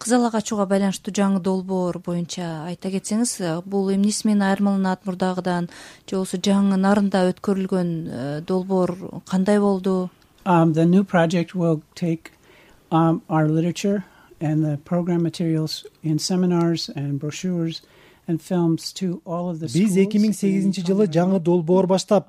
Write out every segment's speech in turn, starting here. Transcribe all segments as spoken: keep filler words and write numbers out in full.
кызыл ак ачууга байланыштуу жаңы долбоор боюнча айта кетсеңиз, бул эмнеси менен айырмаланат мурдагыдан, же болбосо жаңы нарында өткөрүлгөн долбоор кандай болду? Um, the new project will take um, our literature and the program materials in seminars and brochures and films to all of the schools. Биз эки миң сегизинчи жылы жаңы долбоор баштап,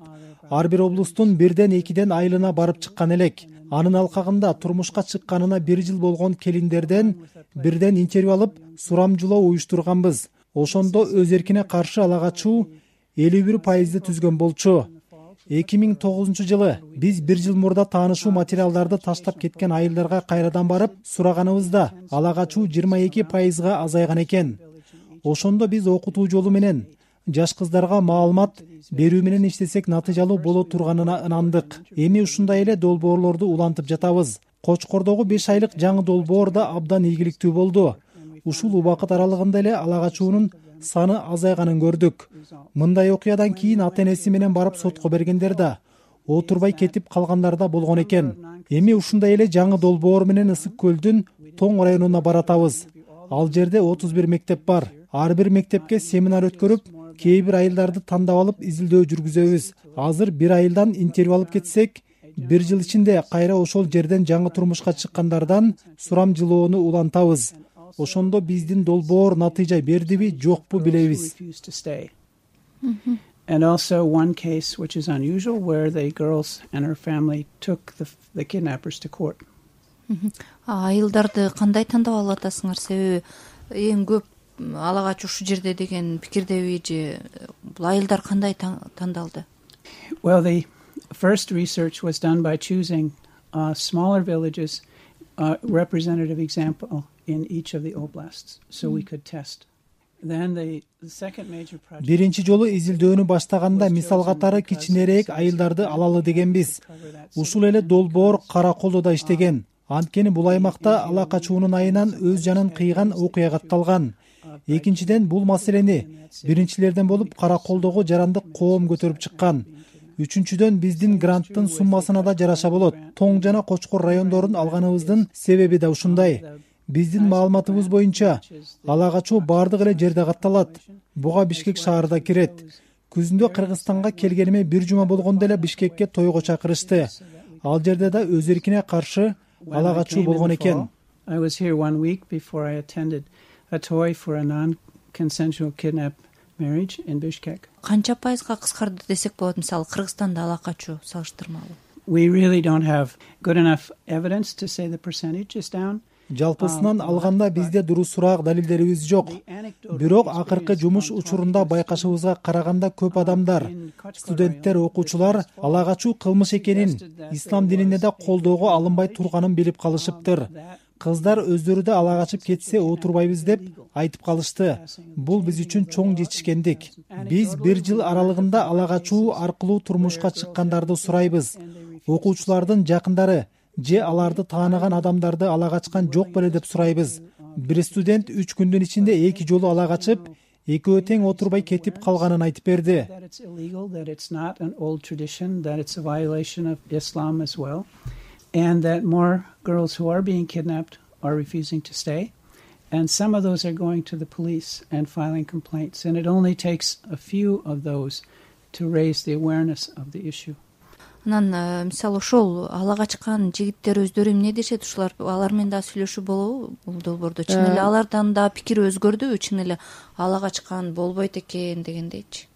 ар бир облустун бирден экиден айылына барып чыккан элек. Анын алкагында турмушка чыкканына бир жыл болгон келиндерден бирден интервью алып, сурамжылоо уюштурганбыз. Ошондо өз эркине каршы ала качуу элүү бир пайызды түзгөн болчу. эки миң тогузунчу жылы биз бир жыл мурда таанышуу материалдарды таштап кеткен айылдарга кайрадан барып сураганыбызда ала качуу жыйырма эки пайызга азайган экен. Ошондо биз окутуу жолу менен жаш кыздарга маалымат берүү менен иштесек натыйжалуу боло турганына ынандык. Эми ушундай эле долбоорлорду улантып жатабыз. Кочкордогу беш айлык жаңы долбоор да абдан ийгиликтүү болду. Ушул убакыт аралыгында эле ала качуунун саны азайганын көрдүк. Мындай окуядан кийин ата-энеси менен барып сотко бергендер да, отурбай кетип калгандар да болгон экен. Эми ушундай эле жаңы долбоор менен Ысык көлдүн Тоң районуна баратабыз. Ал жерде отуз бир мектеп бар. Ар бир мектепке семинар өткөрүп, кээ бир айылдарды тандап алып изилдөө жүргүзөбүз. Азыр бир айылдан интервью алып кетсек, бир жыл ичинде кайра ошол жерден жаңы турмушка чыккандардан сурамжылоону улантабыз. Ошондо биздин долбоор натыйжа бердиби, жокпу билебиз. And also one case which is unusual where the girls and her family took the, the kidnappers to court. Айылдарды кандай тандап алып атасыңар? Себеби эң көп ала качуу ушул жерде деген пикирдеби же бул айылдар кандай тандалды? Well, the first research was done by choosing uh, smaller villages, uh, representative example in each of the oblasts, so we could test. Then the, the second major project. Биринчи жолу изилдөөнү баштаганда мисал катары кичинерээк айылдарды алалы дегенбиз. Ушул эле долбоор Караколдо иштеген. Анткени бул аймакта ала качуунун айынан өз жанын кыйган окуя катталган. Экинчиден бул маселени биринчилерден болуп Караколдогу жарандык коом көтөрүп чыккан. Үчүнчүдөн биздин гранттын суммасына да жараша болот. Тоң жана Кочкор райондорун алганыбыздын себеби да ушундай. Биздин маалыматыбыз боюнча ала качуу бардык эле жерде катталат. Буга Бишкек шаарда кирет. Күзүндө Кыргызстанга келгениме бир жума болгондо эле Бишкекке тойго чакырышты. Ал жерде да өз эркине каршы ала качуу болгон экен. I was here one week before I attended a toy for a non-consensual kidnap marriage in Bishkek. Канча пайызга кыскарды десек болот, мисалы Кыргызстанда ала качуу салыштырмалуу? We really don't have good enough evidence to say the percentage is down. Жалпысынан алганда бизде дурусураак далилдерибиз жок. Бирок акыркы жумуш учурунда байкашыбызга караганда көп адамдар, студенттер, окуучулар ала качуу кылмыш экенин, ислам динине да колдоого алынбай турганын билип калышыптыр. Кыздар өздөрү да ала качып кетсе отурбайбыз деп айтып калышты. Бул биз үчүн чоң жетишкендик. Биз бир жыл аралыгында ала качуу аркылуу турмушка чыккандарды сурайбыз. Окуучулардын жакындары же аларды тааныган адамдарды ала качкан жок беле деп сурайбыз. Бир студент үч күндүн ичинде эки жолу ала качып, экөө тең отурбай кетип калганын айтып берди. And that more girls who are being kidnapped are refusing to stay. And some of those are going to the police and filing complaints. And it only takes a few of those to raise the awareness of the issue. Анан мисалы ошол ала качкан жигиттер өздөрү эмне дешет? Ушулар алар менен да сүйлөшүү болобу бул долбоордо? Чын эле алардан да пикир өзгөрдүбү? Чын эле ала качкан болбойт экен дегендейчи?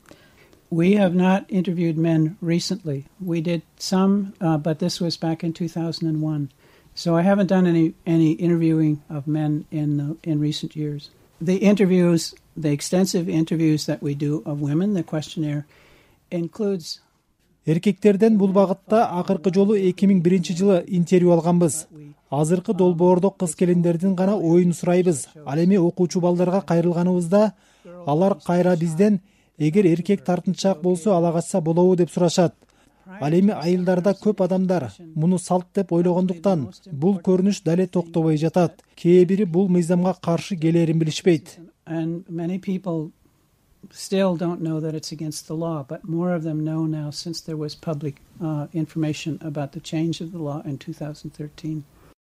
We have not interviewed men recently. We did some, uh, but this was back in two thousand one. So I haven't done any any interviewing of men in uh, in recent years. The interviews, the extensive interviews that we do of women, the questionnaire includes. Эркектерден бул багытта акыркы жолу эки миң биринчи жылы интервью алганбыз. Азыркы долбоордо кыз келиндердин гана оюн сурайбыз. Ал эми окуучу балдарга кайрылганыбызда алар кайра бизден эгер эркек тартынчаак болсо ала качса болобу деп сурашат. Ал эми айылдарда көп адамдар муну салт деп ойлогондуктан бул көрүнүш дале токтобой жатат. Кээ бири бул мыйзамга каршы келерин билишпейт. And many people still don't know that it's against the law, but more of them know now since there was public uh, information about the change of the law in two thousand thirteen.